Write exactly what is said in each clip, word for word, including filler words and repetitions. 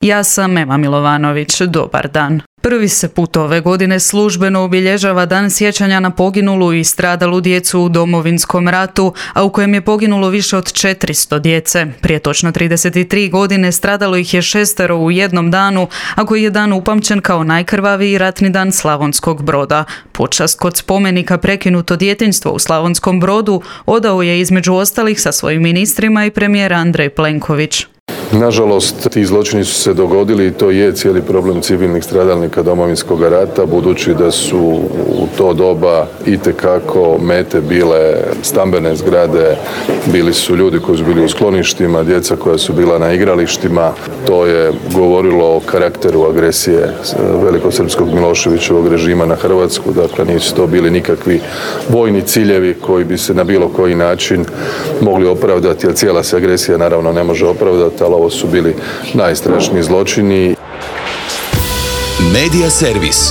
Ja sam Ema Milovanović, dobar dan. Prvi se put ove godine službeno obilježava Dan sjećanja na poginulu i stradalu djecu u Domovinskom ratu, a u kojem je poginulo više od četiristo djece. Prije točno trideset tri godine stradalo ih je šestero u jednom danu, a koji je dan upamćen kao najkrvaviji ratni dan Slavonskog Broda. Počast kod spomenika Prekinuto djetinjstvo u Slavonskom Brodu odao je između ostalih sa svojim ministrima i premijer Andrej Plenković. Nažalost, ti zločini su se dogodili i to je cijeli problem civilnih stradalnika Domovinskog rata, budući da su u to doba itekako mete bile stambene zgrade, bili su ljudi koji su bili u skloništima, djeca koja su bila na igralištima. To je govorilo o karakteru agresije velikosrpskog Miloševićevog režima na Hrvatsku. Dakle, nisu to bili nikakvi vojni ciljevi koji bi se na bilo koji način mogli opravdati, jer cijela se agresija naravno ne može opravdati, ali ovo su bili najstrašniji zločini. Medija servis.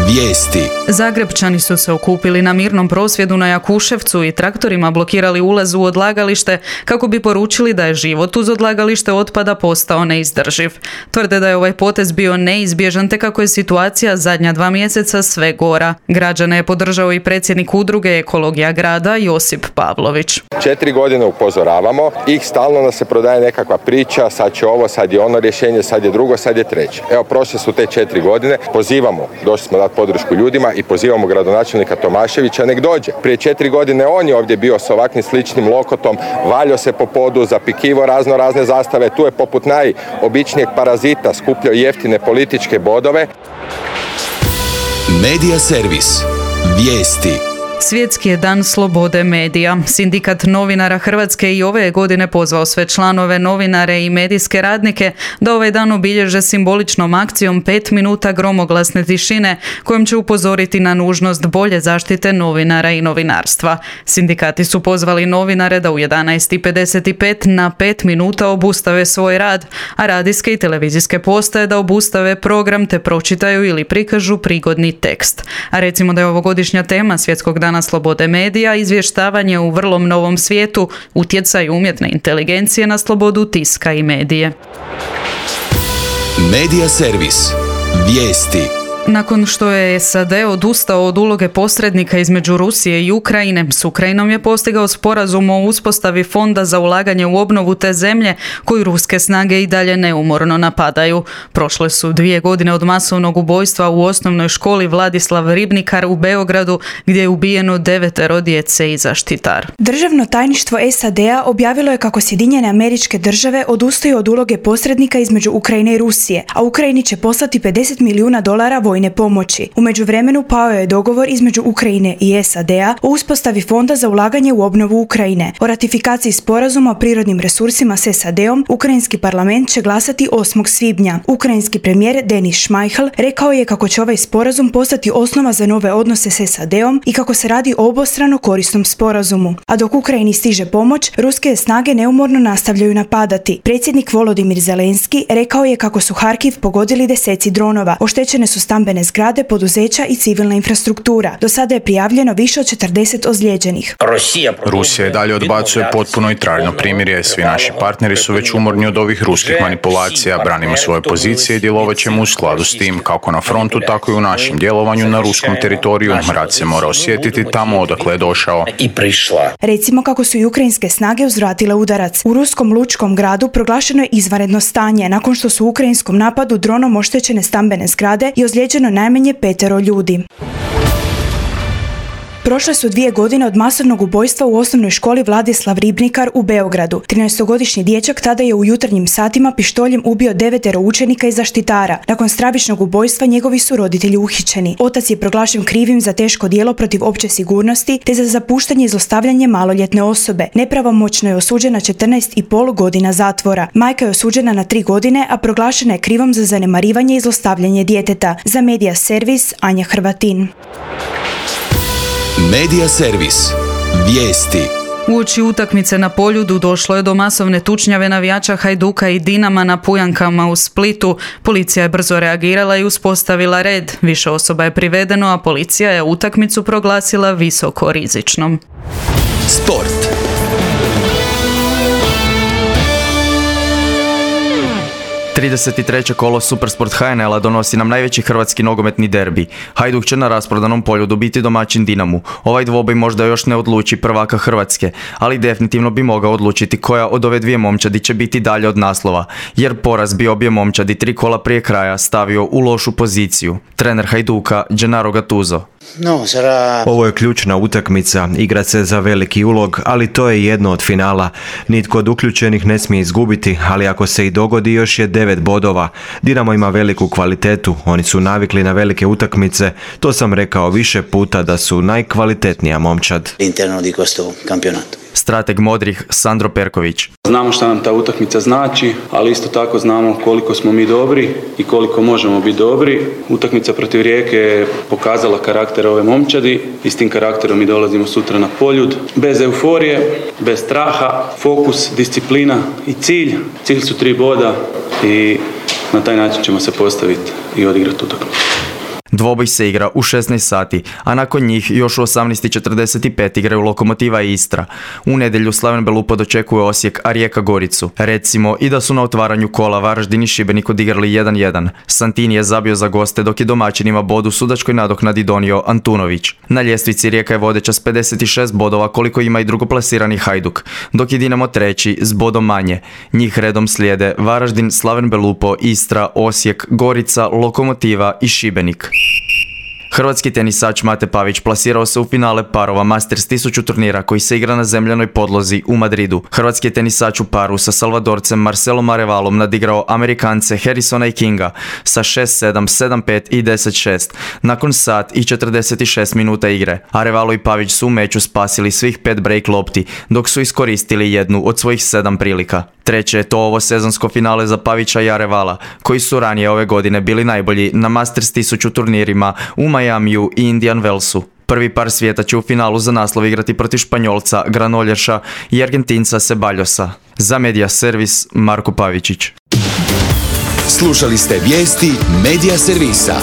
Vijesti. Zagrebčani su se okupili na mirnom prosvjedu na Jakuševcu i traktorima blokirali ulaz u odlagalište kako bi poručili da je život uz odlagalište otpada postao neizdrživ. Tvrde da je ovaj potez bio neizbježan te kako je situacija zadnja dva mjeseca sve gora. Građane je podržao i predsjednik udruge Ekologija grada Josip Pavlović. Četiri godine upozoravamo i stalno nas se prodaje nekakva priča, sad će ovo, sad je ono rješenje, sad je drugo, sad je treće. Evo, prošle su te četiri godine, pozivamo, došli smo dati podršku ljudima i pozivamo gradonačelnika Tomaševića nek dođe. Prije četiri godine on je ovdje bio s ovakvim sličnim lokotom, valjao se po podu, zapikivo razno razne zastave, tu je poput najobičnijeg parazita skupljao jeftine političke bodove. Medija servis. Vijesti. Svjetski je dan slobode medija. Sindikat novinara Hrvatske i ove godine pozvao sve članove, novinare i medijske radnike da ovaj dan obilježe simboličnom akcijom pet minuta gromoglasne tišine kojom će upozoriti na nužnost bolje zaštite novinara i novinarstva. Sindikati su pozvali novinare da u jedanaest i pedeset pet na pet minuta obustave svoj rad, a radijske i televizijske postaje da obustave program te pročitaju ili prikažu prigodni tekst. A recimo da je ovogodišnja tema Svjetskog dana slobode medija izvještavanje u vrlo novom svijetu, utjecaj umjetne inteligencije na slobodu tiska i medije. Medija servis. Vijesti. Nakon što je S A D odustao od uloge posrednika između Rusije i Ukrajine, s Ukrajinom je postigao sporazum o uspostavi fonda za ulaganje u obnovu te zemlje koju ruske snage i dalje neumorno napadaju. Prošle su dvije godine od masovnog ubojstva u osnovnoj školi Vladislav Ribnikar u Beogradu, gdje je ubijeno devetero djece i zaštitar. Državno tajništvo S A D-a objavilo je kako Sjedinjene Američke Države odustaju od uloge posrednika između Ukrajine i Rusije, a Ukrajini će poslati pedeset milijuna dolara vojne pomoći. U međuvremenu pao je dogovor između Ukrajine i S A D-a o uspostavi fonda za ulaganje u obnovu Ukrajine. O ratifikaciji sporazuma o prirodnim resursima s S A D-om ukrajinski parlament će glasati osmog svibnja. Ukrajinski premijer Denis Šmajhl rekao je kako će ovaj sporazum postati osnova za nove odnose s S A D-om i kako se radi o obostrano korisnom sporazumu. A dok Ukrajini stiže pomoć, ruske snage neumorno nastavljaju napadati. Predsjednik Volodimir Zelenski rekao je kako su Harkiv pogodili deseci dronova. Oštećene su stambene zgrade, poduzeća i civilna infrastruktura. Do sada je prijavljeno više od četrdeset ozlijeđenih. Rusija i dalje odbacuje potpuno i trajno primirje. Svi naši partneri su već umorni od ovih ruskih manipulacija. Branimo svoje pozicije i djelovat ćemo u skladu s tim, kako na frontu, tako i u našem djelovanju na ruskom teritoriju. Rat se mora osjetiti tamo odakle je došao. Recimo kako su i ukrajinske snage uzvratile udarac. U ruskom lučkom gradu proglašeno je izvanredno stanje nakon što su u ukrajinskom napadu dronom oštećene stambene zgrade i ozlijeđeno najmanje petero ljudi. Prošle su dvije godine od masovnog ubojstva u osnovnoj školi Vladislav Ribnikar u Beogradu. trinaestogodišnji dječak tada je u jutarnjim satima pištoljem ubio devetero učenika i zaštitara. Nakon stravičnog ubojstva njegovi su roditelji uhićeni. Otac je proglašen krivim za teško djelo protiv opće sigurnosti te za zapuštanje i zlostavljanje maloljetne osobe. Nepravomoćno je osuđena četrnaest i pol godina zatvora. Majka je osuđena na tri godine, a proglašena je krivom za zanemarivanje i zlostavljanje djeteta. Za Medija servis Anja Hrvatin. Medija servis. Vijesti. Uoči utakmice na Poljudu došlo je do masovne tučnjave navijača Hajduka i Dinama na Pujankama u Splitu. Policija je brzo reagirala i uspostavila red. Više osoba je privedeno, a policija je utakmicu proglasila visoko rizičnom. Sport. trideset treće kolo Supersport H N L-a donosi nam najveći hrvatski nogometni derbi. Hajduk će na rasprodanom polju dobiti domaćin Dinamu. Ovaj dvoboj možda još ne odluči prvaka Hrvatske, ali definitivno bi mogao odlučiti koja od ove dvije momčadi će biti dalje od naslova, jer poraz bi obje momčadi tri kola prije kraja stavio u lošu poziciju. Trener Hajduka, Gennaro Gattuso. No, sarà... Ovo je ključna utakmica, igra se za veliki ulog, ali to je jedno od finala. Nitko od uključenih ne smije izgubiti, ali ako se i dogodi još je devet bodova. Dinamo ima veliku kvalitetu, oni su navikli na velike utakmice, to sam rekao više puta da su najkvalitetnija momčad. Interno di questo campionato. Strateg modrih Sandro Perković. Znamo šta nam ta utakmica znači, ali isto tako znamo koliko smo mi dobri i koliko možemo biti dobri. Utakmica protiv Rijeke je pokazala karakter ove momčadi i s tim karakterom mi dolazimo sutra na Poljud. Bez euforije, bez straha, fokus, disciplina i cilj. Cilj su tri boda i na taj način ćemo se postaviti i odigrati utakmicu. Dvoboj se igra u šesnaest sati, a nakon njih još u osamnaest i četrdeset pet igraju Lokomotiva i Istra. U nedjelju Slaven Belupo dočekuje Osijek, a Rijeka Goricu. Recimo i da su na otvaranju kola Varaždin i Šibenik odigrali jedan jedan. Santini je zabio za goste, dok je domaćinima bod u sudačkoj nadoknadi donio Antunović. Na ljestvici Rijeka je vodeća s pedeset šest bodova, koliko ima i drugoplasirani Hajduk, dok je Dinamo treći s bodom manje. Njih redom slijede Varaždin, Slaven Belupo, Istra, Osijek, Gorica, Lokomotiva i Šibenik. Hrvatski tenisač Mate Pavić plasirao se u finale parova Masters tisuću turnira koji se igra na zemljanoj podlozi u Madridu. Hrvatski je tenisač u paru sa Salvadorcem Marcelom Arevalom nadigrao Amerikance Harrisona i Kinga sa šest sedam, sedam pet i deset šest nakon sat i četrdeset šest minuta igre. Arevalo i Pavić su u meču spasili svih pet break lopti, dok su iskoristili jednu od svojih sedam prilika. Treće je to ovo sezonsko finale za Pavića i Arevala, koji su ranije ove godine bili najbolji na Masters tisuću turnirima u Miamiju i Indian Wellsu. Prvi par svijeta će u finalu za naslov igrati protiv Španjolca Granolješa i Argentinca Ceballosa. Za Media Servis Marko Pavičić. Slušali ste vijesti Media Servisa.